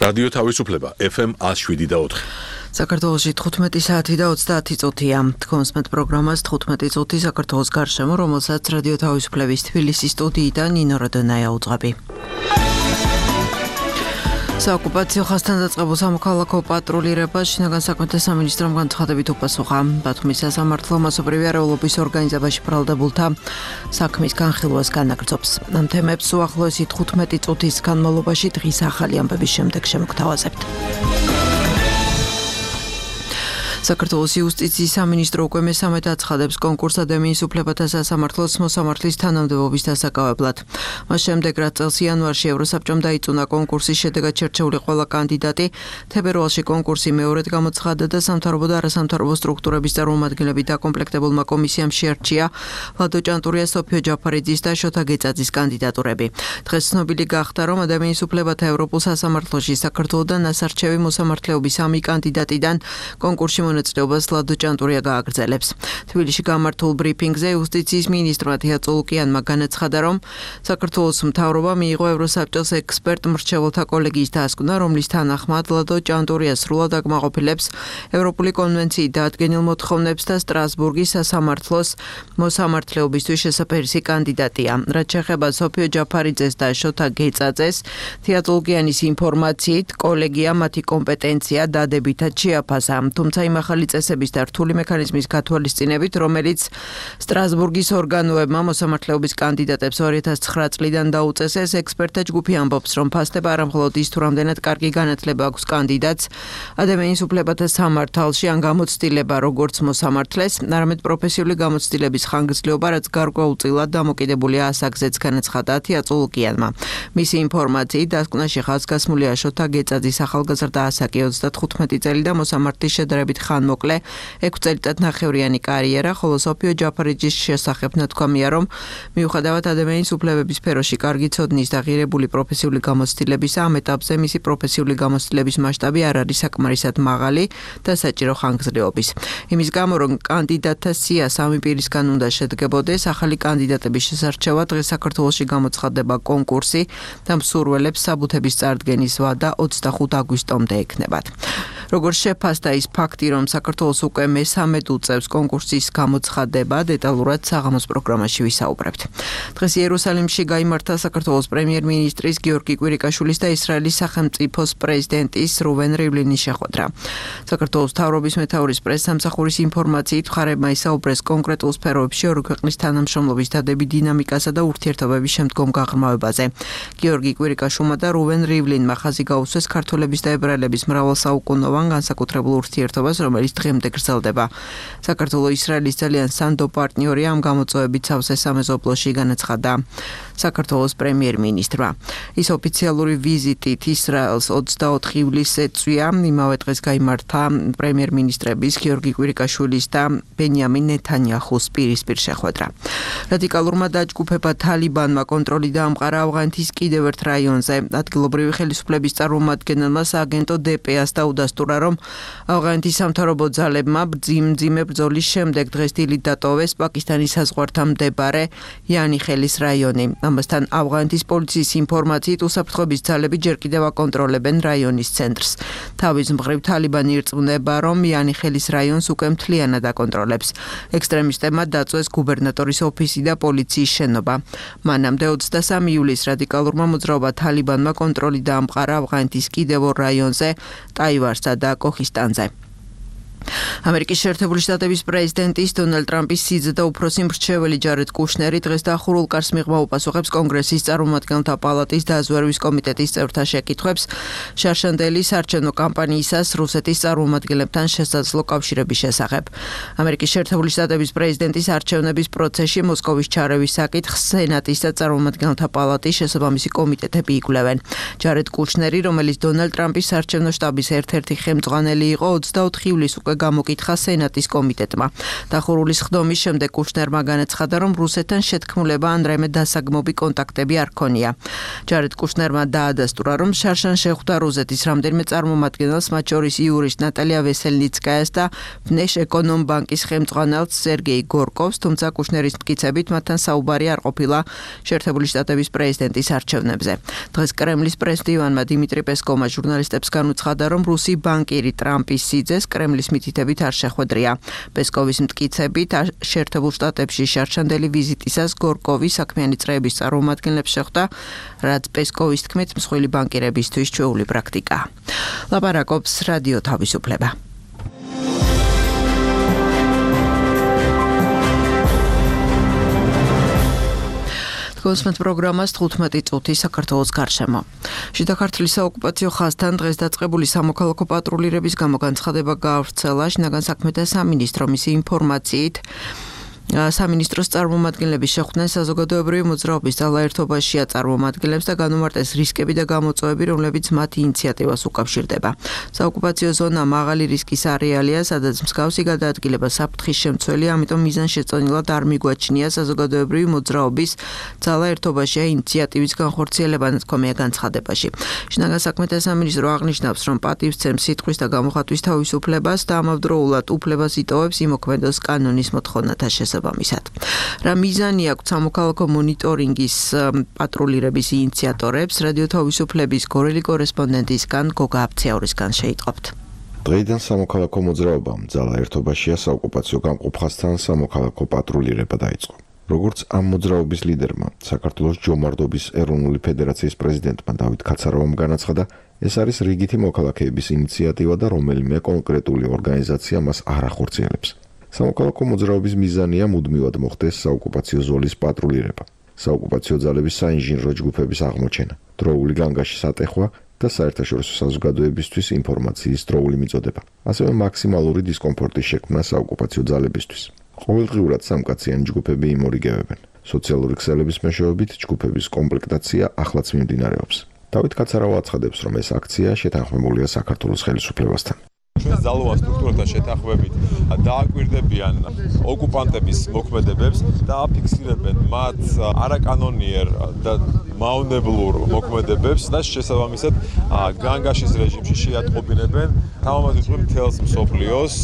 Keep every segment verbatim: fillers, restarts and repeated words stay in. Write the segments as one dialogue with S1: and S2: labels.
S1: რადიო თავისუფლება ეფ ემ one oh seven და four.
S2: საქართველოში თხუთმეტი საათი და ოცდაათი წუთია. თქვენს მეტ პროგრამას თხუთმეტი წუთი საქართველოს გარშემო, რომელსაც რადიო თავისუფლების თბილისის სტუდიიდან ნინო როდონაია უძღვები. საოკუპაციო ხაზთან დაწყებულ სამოქალაქო პატრულირებას შინაგან საქმეთა სამინისტრომ განცხადებით უპასუხა. ბათუმის სასამართლო მასობრივი არეულობის ორგანიზებაში ბრალდებულთა საქმის განხილვას განაგრძობს. ამ თემებს უახლოესი თხუთმეტი წუთის განმავლობაში დღის ახალი ამბების შემდეგ შემოგთავაზებთ. საქართველოს იუსტიციის სამინისტრო უკვე მესამედ აცხადებს კონკურს ადამიანის უფლებათა სასამართლოს მოსამართლის თანამდებობის დასაკავებლად. მას შემდეგ, რაც წელს იანვარში ევროსაბჭომ დაიწუნა კონკურსის შედეგად შერჩეული ყველა კანდიდატი, თებერვალში კონკურსი მეორედ გამოცხადდა და სამთავრობო და არასამთავრობო სტრუქტურების წარმომადგენლები დაკომპლექტებულმა კომისიამ შეარჩია ლადო ჭანტურიას, სოფიო ჯაფარიძის და შოთა გეწაძის კანდიდატურები. დღეს ცნობილი გახდა, რომ ადამიანის უფლებათა ევროპულ სასამართლოში საქართველოდან ასარჩევი მოსამართლეობის სამი კანდიდატიდან კონკურსში მონაწილეობას ლადო ჭანტურია გააგრძელებს. თბილისში გამართულ ბრიფინგზე იუსტიციის მინისტრმა თია წულუკიანმა განაცხადა, რომ საქართველოს მთავრობა მიიღო ევროსაბჭოს ექსპერტ მრჩეველთა კოლეგიის დასკვნა, რომლის თანახმად ლადო ჭანტურია სრულად აკმაყოფილებს ევროპული კონვენციით დადგენილ მოთხოვნებს და სტრასბურგის სასამართლოს მოსამართლეობისთვის შესაძლებელი კანდიდატია. რაც შეეხება სოფიო ჯაფარიძეს და შოთა გეწაძეს, თია წულუკიანის ინფორმაციით კოლეგია მათი კომპეტენცია დადებითად შეაფასა, თუმცა იმ ახალი წესების და რთული მექანიზმის გათვალისწინებით, რომელიც სტრასბურგის ორგანოებმა მოსამართლეობის კანდიდატებს ორი ათას ცხრა წლიდან დაუწესეს, ექსპერტთა ჯგუფი ამბობს, რომ ფასდება არა მხოლოდ ის, თუ რამდენად კარგი განათლება აქვს კანდიდატს ადამიანის უფლებათა სამართალში ან გამოცდილება როგორც მოსამართლეს, არამედ პროფესიული გამოცდილების ხანგრძლივობა, რაც გარკვეულწილად დამოკიდებულია ასაკზეც, განაცხადა თია წულუკიანმა. მისი ინფორმაციით, დასკვნაში ხაზგასმულია შოთა გეწაძის ახალგაზრდა ასაკი ოცდათხუთმეტი წელი და მოსამართლის შედარებით ხანმოკლე ექვსი წელიწად ნახევრიანი კარიერა, ხოლო სოფიო ჯაფარიძის შესახებ ნათქვამია, რომ მიუხედავად ადამიანის უფლებების სფეროში კარგი ცოდნის და ღირებული პროფესიული გამოცდილებისა, ამ ეტაპზე მისი პროფესიული გამოცდილების მასშტაბი არ არის საკმარისად მაღალი და საჭირო ხანგრძლივობის. იმის გამო, რომ კანდიდატთა სია სამი პირისგან უნდა შედგებოდეს, ახალი კანდიდატების შესარჩევად დღეს საქართველოში გამოცხადდება კონკურსი და მსურველებს საბუთების წარდგენის ვადა ოცდახუთი აგვისტომდე ექნებათ. როგორც შეფასდა ის ფაქტი, რომ საქართველოს უკვე მესამედ უწევს კონკურსის გამოცხადება, დეტალურად საღამოს პროგრამაში ვისაუბრებთ. დღეს იერუსალიმში გაიმართა საქართველოს პრემიერ-მინისტრის გიორგი კვირიკაშვილის და ისრაელის სახელმწიფოს პრეზიდენტის რუვენ რივლინის შეხვედრა. საქართველოს მთავრობის მეთაურის პრესსამსახურის ინფორმაციით, მხარეებმა ისაუბრეს კონკრეტულ სფეროებში ორი ქვეყნის თანამშრომლობის დადებით დინამიკასა და ურთიერთობების შემდგომ გაღრმავებაზე. გიორგი კვირიკაშვილმა და რუვენ რივლინმა ხაზი გაუსვეს ქართველების და ებრაელების მრავალსაუკუნოვან განსაკუთრებულ ურთიერთობას, რომელიც დღემდე გრძელდება. საქართველოს ისრაელის ძალიან სანდო პარტნიორია ამ გამოწვევებით სავსე სამეზობლოში, განაცხადა საქართველოს პრემიერ-მინისტრმა. ის ოფიციალური ვიზიტით ისრაელს ოცდაოთხი ივლისს ეწვია. იმავე დღეს გაიმართა პრემიერ-მინისტრების გიორგი კვირიკაშვილის და ბენიამინ ნეთანიაჰუს პირისპირ შეხვედრა. რადიკალურმა დაჯგუფება თალიბანმა კონტროლი დაამყარა ავღანეთის კიდევ ერთ რაიონზე. ადგილობრივი ხელისუფლების წარმომადგენელმა სააგენტო დე პე-ას დაუდასტურა, რომ ავღანეთის სამთავრობო ძალებმა მძიმე ბრძოლის შემდეგ დღეს დილით დატოვეს პაკისტანის საზღვართან მდებარე იანიხელის რაიონი. ამასთან ავღანეთის პოლიციის ინფორმაციით, უსაფრთხოების ძალები ჯერ კიდევ აკონტროლებენ რაიონის ცენტრს. თავის მხრივ თალიბანი ირწმუნება, რომ იანიხელის რაიონს უკვე მთლიანად აკონტროლებს. ექსტრემისტებმა დაწვეს გუბერნატორის ოფისი და პოლიციის შენობა. მანამდე ოცდასამი ივლისს რადიკალურმა მოძრაობა თალიბანმა კონტროლი დაამყარა ავღანეთის კიდევ ორ რაიონზე, ტაივარსა და კოხისტანზე. ამერიკის შეერთებული შტატების პრეზიდენტის დონალდ ტრამპის სიძე და უფროსი მრჩეველი ჯარედ კუშნერი დღეს დახურულ კარს მიღმა უპასუხებს კონგრესის წარმომადგენელთა პალატის დაზვერვის კომიტეტის წევრთა შეკითხვებს შარშანდელი საარჩევნო კამპანიისას რუსეთის წარმომადგენლებთან შესაძლო კავშირების შესახებ. ამერიკის შეერთებული შტატების პრეზიდენტის არჩევნების პროცესში მოსკოვის ჩარევის საკითხს სენატის და წარმომადგენელთა პალატის შესაბამისი კომიტეტები იკვლევენ. ჯარედ კუშნერი, რომელიც დონალდ ტრამპის საარჩევნო შტაბის ერთ-ერთი ხელმძღვანელი იყო, ოცდაოთხი ივლისს უკვე ასევე გამოკითხა სენატის კომიტეტმა. დახურულის ხდომის შემდეგ კუშნერმა განაცხადა, რომ რუსეთთან შეთქმულება ან რაიმე დასაგმობი კონტაქტები არ ქონია. ჯარედ კუშნერმა დაადასტურა, რომ შარშან შეხვდა რუსეთის რამდენიმე წარმომადგენელს, მათ შორის იურის ნატალია ვესელნიცკაიას და ვნეშეკონომბანკის ხელმძღვანელს სერგეი გორკოვს, თუმცა კუშნერის მტკიცებით მათთან საუბარი არ ყოფილა შეერთებული შტატების პრეზიდენტის არჩევნებზე. დღეს კრემლის პრესდივანმა დიმიტრი პესკოვმა ჟურნალისტებს განუცხადა, რომ რუსი ბანკირი ტრამპის სიძეს კრემლის მითითებით არ შეხვედრია. პესკოვის მტკიცებით შეერთებულ შტატებში შარშანდელი ვიზიტისას გორკოვი საქმიანი წრეების წარმომადგენლებს შეხვდა, რაც პესკოვის თქმით მსხვილი ბანკირებისთვის ჩვეული პრაქტიკაა. ლაპარაკობს რადიო თავისუფლება. გოსმეთ პროგრამას თხუთმეტი წუთი საქართველოს გარშემო. შიდა ქართლის საოკუპაციო ხაზთან დღეს დაწყებული სამოქალაქო პატრულირების გამო განცხადება გაავრცელა შინაგან საქმეთა სამინისტროს ინფორმაციით. სამინისტროს წარმომადგენლები შეხვდნენ საზოგადოებრივი მოძრაობის ძალაერთობაშია წარმომადგენლებს და განუმარტეს რისკები და გამოწვევები, რომლებიც მათ ინიციატივას უკავშირდება. საოკუპაციო ზონა მაღალი რისკის არეალია, სადაც მსგავსი გადაადგილება საფრთხის შემცველია, ამიტომ მიზანშეწონილად არ მიგვაჩნია საზოგადოებრივი მოძრაობის ძალაერთობაშია ინიციატივის განხორციელება, თქვენია განცხადებაში. შინაგან საქმეთა სამინისტრო აღნიშნავს, რომ პატივსცემს სიტყვის და გამოხატვის თავისუფლებას და ამავდროულად უფლებას იტოვებს იმოქმედოს კანონის მოთხოვნათა შესაბამისად. რა მიზანი აქვს სამოქალაქო მონიტორინგის პატრულირების ინიციატორებს, რადიო თავისუფლების გორელი კორესპონდენტისგან გოგა აფციაურისგან შეიტყობთ.
S3: დღეიდან სამოქალაქო მოძრაობამ ძალაერთობაშია საოკუპაციო გამყოფხასთან სამოქალაქო პატრულირება დაიწყო. როგორც ამ მოძრაობის ლიდერმა, საქართველოს ჯომარდობის ეროვნული ფედერაციის პრეზიდენტმა დავით ქაცარავამ განაცხადა, ეს არის რიგითი მოქალაქეების ინიციატივა და რომელიმე კონკრეტული ორგანიზაცია მას არ ახორციელებს. სამოქალაქო მოძრაობის მიზანია მუდმივად მოხდეს საოკუპაციო ზოლის პატრულირება, საოკუპაციო ძალების საინჟინრო ჯგუფების აღმოჩენა, დროული განგაშის ატეხვა და საერთაშორისო საზოგადოებისთვის ინფორმაციის დროული მიწოდება, ასევე მაქსიმალური დისკომფორტის შექმნა საოკუპაციო ძალებისთვის. ყოველდღიურად სამკაციანი ჯგუფები იმორიგებებენ. სოციალური ქსელების მეშვეობით ჯგუფების კომპლექტაცია ახლაც მიმდინარეობს. დავით ქაცარავა აცხადებს, რომ ეს აქცია შეთანხმებულია საქართველოს ხელისუფლებასთან.
S4: ჩვენ ძალოვან სტრუქტურათა შეთანხმებით დააკვირდებიან ოკუპანტების მოქმედებებს და აფიქსირებენ მათ არაკანონიერ და მავნებლურ მოქმედებებს და შესაბამისად განგაშის რეჟიმში შეატყობინებენ თამამად მთელს მსოფლიოს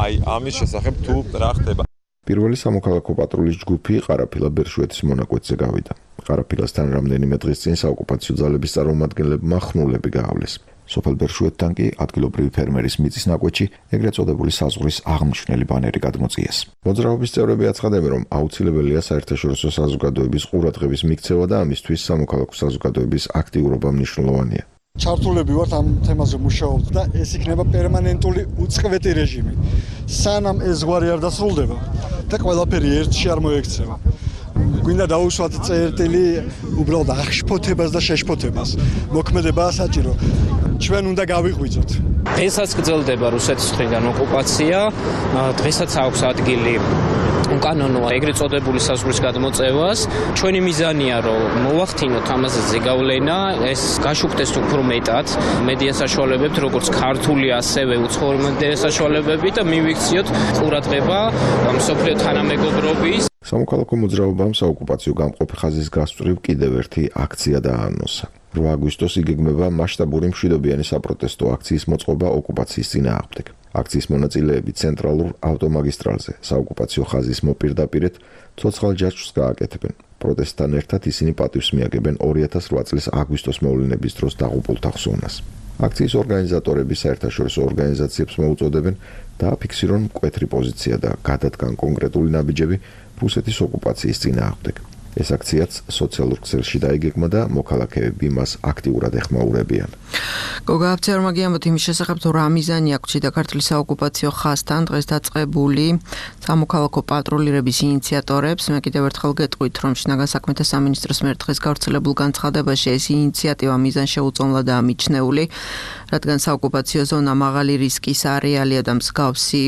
S4: აი ამის შესახებ თუ რა ხდება.
S3: პირველი სამოქალაქო პატრულის ჯგუფი ყარაფილა ბერშვეთის მონაკვეთზე გავიდა. ყარაფილასთან რამდენიმე დღის წინ საოკუპაციო ძალების წარმომადგენლებმა ხნულები გაავლეს. სოფელ ბერშვეთთან კი ადგილობრივი ფერმერის მიწის ნაკვეთში ეგრეთ წოდებული საზღვრის აღმნიშვნელი ბანერი გადმოწიეს. მოძრაობის წევრები აცხადებენ, რომ აუცილებელია საერთაშორისო საზოგადოების ყურადღების მიქცევა და ამისთვის სამოქალაქო საზოგადოების აქტიურობა მნიშვნელოვანია.
S5: ჩართულები ვართ ამ თემაზე მუშაობთ და ეს იქნება პერმანენტული უწყვეტი რეჟიმი. სანამ ეს გვარი არ დასრულდება და ყველაფერი ერთში არ მოექცევა. გვინდა დაუსვათ წერტილი უბრალოდ აღშფოთებას და შეშფოთებას. მოქმედებაა საჭირო. ჩვენ უნდა გავიღვიძოთ.
S6: დღესაც გრძელდება რუსეთის მხრიდან ოკუპაცია, დღესაც აქვს ადგილი უკანონო ეგრეთ წოდებული საზღვრის გადმოწევას. ჩვენი მიზანია, რომ მოვახდინოთ ამაზე ზეგავლენა, ეს გაშუქდეს უფრო მეტად მედია საშუალებებით, როგორც ქართული, ასევე უცხოური მედია საშუალებებით და მივიქციოთ ყურადღება მსოფლიო თანამეგობრობის.
S3: სამოქალაქო მოძრაობამ საოკუპაციო გამყოფი ხაზის გასწვრივ კიდევ ერთი აქცია დაანონსა. რვა აგვისტოს იგეგმება მასშტაბური მშვიდობიანი საპროტესტო აქციის მოწყობა ოკუპაციის წინააღმდეგ. აქციის მონაწილეები ცენტრალურ ავტომაგისტრალზე საოკუპაციო ხაზის მოპირდაპირედ ცოცხალ ჯაჭვს გააკეთებენ. პროტესტთან ერთად ისინი პატივს მიაგებენ ორი ათას რვა წლის აგვისტოს მოვლენების დროს დაღუპულთა ხსოვნას. აქციის ორგანიზატორები საერთაშორისო ორგანიზაციებს მოუწოდებენ დააფიქსირონ მკვეთრი პოზიცია და გადადგან კონკრეტული ნაბიჯები რუსეთის ოკუპაციის წინააღმდეგ. ეს აქციაც სოციალურ ქსელში დაიგეგმა და მოქალაქეები მას აქტიურად ეხმაურებიან.
S2: გოგა აფციარმა გიამბოთ იმის შესახებ, თუ რა მიზანი აქვს შიდა ქართლის საოკუპაციო ხაზთან დღეს დაწყებული სამოქალაქო პატრულირების ინიციატორებს. მე კიდევ ერთხელ გეტყვით, რომ შინაგან საქმეთა სამინისტროს მიერ დღეს გავრცელებულ განცხადებაში ეს ინიციატივა მიზანშეუწონლადაა მიჩნეული, რადგან საოკუპაციო ზონა მაღალი რისკის არეალია და მსგავსი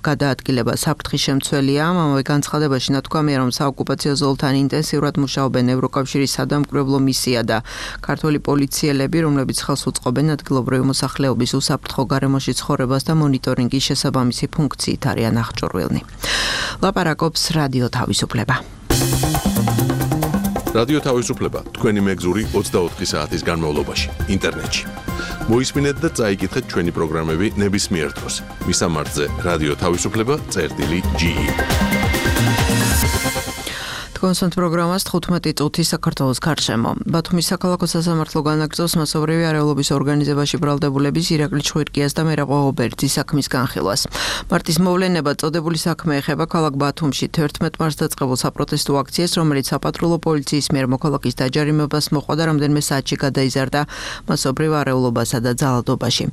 S2: გადაადგილება საფრთხის შემცველია. ამავე განცხადებაში ნათქვამია, რომ საოკუპაციო ზოლთან ინტენსიურად მუშაობენ ევროკავშირის სადამკვირვებლო მისია და ქართული პოლიციელები, რომლებიც ხელს უწყობენ ადგილობრივი მოსახლეობის უსაფრთხო გარემოში ცხოვრებას და მონიტორინგის შესაბამისი ფუნქციით არიან აღჭურვილნი. ლაპარაკობს რადიო თავისუფლება.
S1: რადიო თავისუფლება თქვენი მეგზური ოცდაოთხი საათის განმავლობაში ინტერნეტში. მოისმინეთ და წაიკითხეთ ჩვენი პროგრამები ნებისმიერ დროს. მისამართზე რადიო თავისუფლება წერტილი ჯი. კონსერტ პროგრამას თხუთმეტი წუთი საქართველოს გარშემო. ბათუმის საქალაქო სასამართლო განაგრძობს მასობრივი არეულობის ორგანიზებაში ბრალდებულების ირაკლი ჩხუირკიას და მერაბ ღოღობერძის საქმის განხილვას. მარტის მოვლენება წოდებული საქმე ეხება ქალაქ ბათუმში თერთმეტ მარტს დაწყებულ საპროტესტო აქციას, რომელიც საპატრულო პოლიციის მიერ მოქალაქის დაჯარიმებას მოყვა და რამდენიმე საათში გადაიზარდა მასობრივ არეულობასა და ძალადობაში.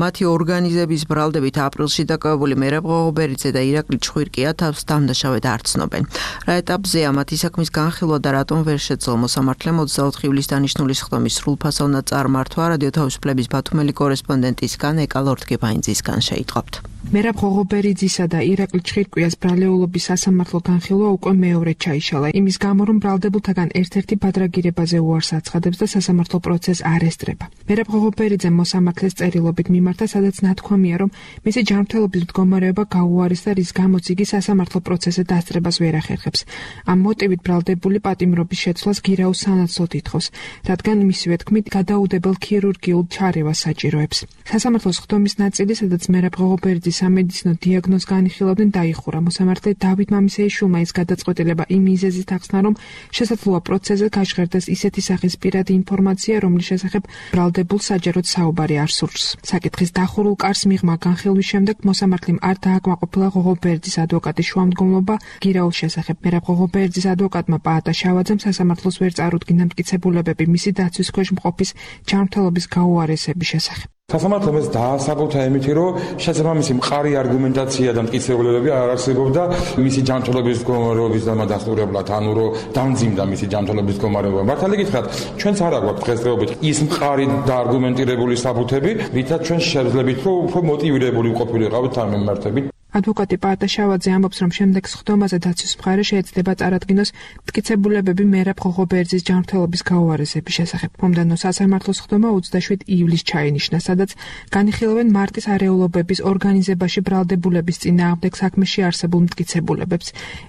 S1: მათი ორგანიზების ბრალდებით აპრილში დაკავებული მერაბ ღოღობერიძე და ირაკლი ჩხუირკია თავს დამნაშავედ არ ცნობენ. რა ეტაპ ამათი საქმის განხილვა და რატომ ვერ შეძლო მოსამართლემ ოცდაოთხი ივლისს დანიშნული სხდომის სრულფასოვნად წარმართვა რადიო თავისუფლების ბათუმელი კორესპონდენტისგან ეკა ლორთგებაინძისგან შეიტყობთ.
S7: მერაბ ღოღობერიძისა და ირაკლი ჩხირკიას ბრალეულობის სასამართლო განხილვა უკვე მეორედ ჩაიშალა. იმის გამო, რომ ბრალდებულთაგან ერთ-ერთი ბადრაგირებაზე უარს აცხადებს და სასამართლო პროცესს არ ესწრება. მერაბ ღოღობერიძემ მოსამართლეს წერილობით მიმართა, სადაც ნათქვამია, რომ მისი ჯანმრთელობის მდგომარეობა გაუარეს და რის გამოც იგი სასამართლო პროცესზე დასწრებას ვერ ახერხებს. ამ მოტივით ბრალდებული პატიმრობის შეცვლას გირაოს სანაცვლოდ ითხოვს, რადგან მისივე თქმით გადაუდებელ ქირურგიულ ჩარევას საჭიროებს. სასამართლოს სხდომის ნაწილი, სადაც მერაბ ღოღობერიძის სამედიცინო დიაგნოზს განიხილავდნენ, დაიხურა. მოსამართლე დავით მამისეიშვილმა ის გადაწყვეტილება იმ მიზეზით ახსნა, რომ შესაძლოა პროცესზე გაჟღერდეს ისეთი სახის პირადი ინფორმაცია, რომლის შესახებ ბრალდებულ საჯაროდ საუბარი არ სურს. საკითხის დახურულ კარს მიღმა განხილვის შემდეგ მოსამართლემ არ დააკმაყოფილა ღოღობერიძის ადვოკატის შუამდგომლობა გირაოს შესახებ. მერაბ ღოღობერიძის ადვოკატმა პაატა შავაძემ სასამართლოს ვერ წარუდგინა მტკიცებულებები მისი დაცვის ქვეშ მყოფის ჯანმრთელობის გაუარესების შესახებ.
S8: სასამართლომ ეს დაასაბოთა იმითი, რომ შესაბამისი მყარი არგუმენტაცია და მტკიცებულებები არ არსებობდა მისი ჯანმრთელობის მდგომარეობის დამადასტურებლად, ანუ რომ დამძიმდა მისი ჯანმრთელობის მდგომარეობა. მართალი გითხრათ, ჩვენც არ აქვს დღესდღეობით ის მყარი და არგუმენტირებული საბუთები, რითაც ჩვენ შევძლებით, რომ უფრო მოტივირებული ყოფილიყავით ამ მიმართებით.
S7: ადვოკატი პაატა შავაძე ამბობს, რომ შემდეგ სხდომაზე დაცვის მხარე შეეცდება წარადგინოს მტკიცებულებები მერაბ ღოღობერიძის ჯანმრთელობის გაუარესების შესახებ. მომდევნო სასამართლო სხდომა ოცდაშვიდ ივლისს ჩაინიშნა, სადაც განიხილავენ მარტის არეულობების ორგანიზებაში ბრალდებულების წინააღმდეგ საქმეში არსებულ მტკიცებულებებს.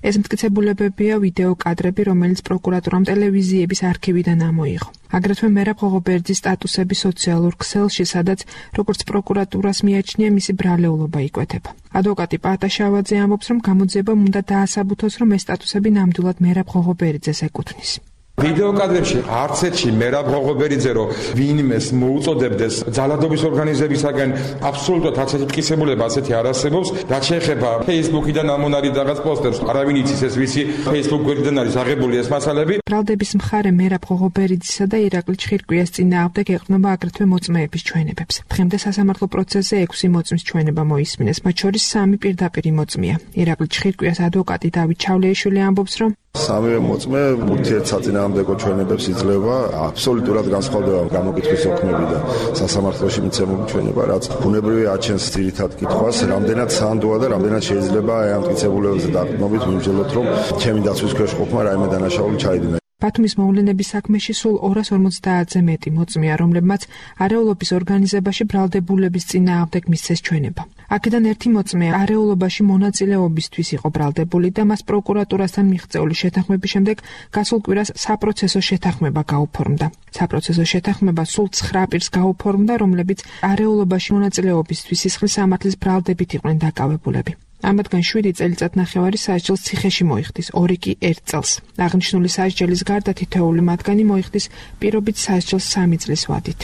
S7: ეს მტკიცებულებებია ვიდეო კადრები, რომელიც პროკურატურამ ტელევიზიების არქივიდან ამოიღო. აგრეთვე მერაბ ღოღობერიძის სტატუსები სოციალურ ქსელში, სადაც როგორც პროკურატურას მიაჩნია მისი ბრალეულობა იკვეთება. ადვოკატი პაატა შავაძე ამბობს, რომ გამოძიებამ უნდა დაასაბუთოს, რომ ეს სტატუსები ნამდვილად მერაბ ღოღობერიძეს ეკუთვნის.
S8: ვიდეო კადრებში არც ერთში მერაბ ღოღობერიძე რომ ვინმეს მოუწოდებდეს ძალადობის ორგანიზებისაგან აბსოლუტურად არც ერთი მტკიცებულება ასეთი არ არსებობს. რაც შეეხება Facebook-იდან ამონარი რაღაც პოსტერს, არავინ იცის ეს ვისი Facebook გვერდიდან არის აღებული ეს მასალები.
S7: ბრალდების მხარე მერაბ ღოღობერიძისა და ირაკლი ჩხირკიას წინააღმდეგ ეყრდნობა აგრეთვე მოწმეების ჩვენებებს. დღემდე სასამართლო პროცესზე ექვსი მოწმის ჩვენება მოისმინეს, მათ შორის სამი პირდაპირი მოწმეა. ირაკლი ჩხირკიას ადვოკატი დავით ჩავლეიშვილი ამბობს, რომ
S9: სამივე მოწმე ურთიერთსაწინააღმდეგო ჩვენებებს იძლევა, აბსოლუტურად განსხვავდება გამოკითხვის ოქმები და სასამართლოში მიცემული ჩვენება, რაც ბუნებრივი აჩენს ძირითად კითხვას, რამდენად სანდოა და რამდენად შეიძლება ამ მტკიცებულებებზე დაყრდნობით მიმსჯელოთ, რომ ჩემი დაცვის ქვეშ ყოფნა რაიმე დანაშაული ჩაიდინა.
S7: ბათუმის მოვლენების საქმეში სულ ორას ორმოცდაათზე მეტი მოწმეა, რომლებმაც არეულობის ორგანიზებაში ბრალდებულების წინააღმდეგ მისცეს ჩვენება. აქედან ერთი მოწმე არეულობაში მონაწილეობისთვის იყო ბრალდებული და მას პროკურატურასთან მიღწეული შეთანხმების შემდეგ გასულ კვირას საპროცესო შეთანხმება გაუფორმდა. საპროცესო შეთანხმება სულ ცხრა პირს გაუფორმდა, რომლებიც არეულობაში მონაწილეობისთვის სისხლის სამართლის ბრალდებით იყვნენ დაკავებულები. ამათგან შვიდი წელიწადნახევარი სასჯელს ციხეში მოიხდის, ორი კი ერთ წელს. აღნიშნული სასჯელის გარდა თითოეული მათგანი მოიხდის პირობით სასჯელს სამი წლის ვადით.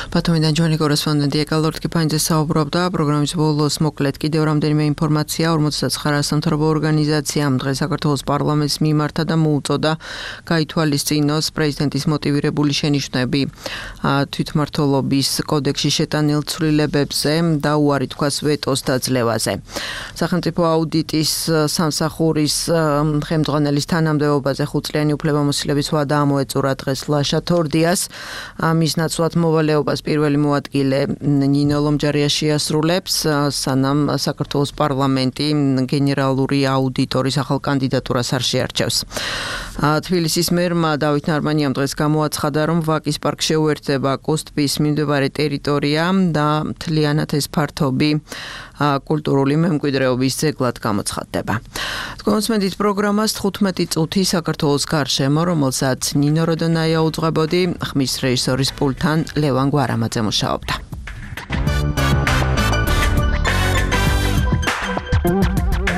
S2: ბათუმიდან ჩვენი კორესპონდენტი ეკა ლორთგებაინძე საუბრობდა. პროგრამის ბოლოს მოკლედ კიდევ რამდენიმე ინფორმაცია. ორმოცდაცხრა სამთავრობო ორგანიზაციამ დღეს საქართველოს პარლამენტს მიმართა და მოუწოდა გაითვალისწინოს პრეზიდენტის მოტივირებული შენიშვნები თვითმმართველობის კოდექსში შეტანილ ცვლილებებზე და უარი თქვას ვეტოს დაძლევაზე. სახელმწიფო აუდიტის სამსახურის ხელმძღვანელის თანამდებობაზე ხუთწლიანი უფლებამოსილების ვადა ამოეწურა დღეს ლაშა თორდიას. მის ნაცვლად
S1: მოვალეობას პირველი მოადგილე ნინო ლომჯარია შეასრულებს, სანამ საქართველოს პარლამენტი გენერალური აუდიტორის ახალ კანდიდატურას არ შეარჩევს. თბილისის მერმა დავით ნარმანიამ დღეს გამოაცხადა, რომ ვაკის პარკ შეუერთდება კოსტპის მიმდებარე ტერიტორია და მთლიანად ეს ფართობი კულტურული მემკვიდრეობის ძეგლად გამოცხადდება. კონსმენდით პროგრამას თხუთმეტი წუთი საქართველოს გარშემო, რომელსაც ნინო როდონაია უძღვებოდი, ხმის რეჟისორის პულტთან ლევან გვარამაძე მუშაობდა.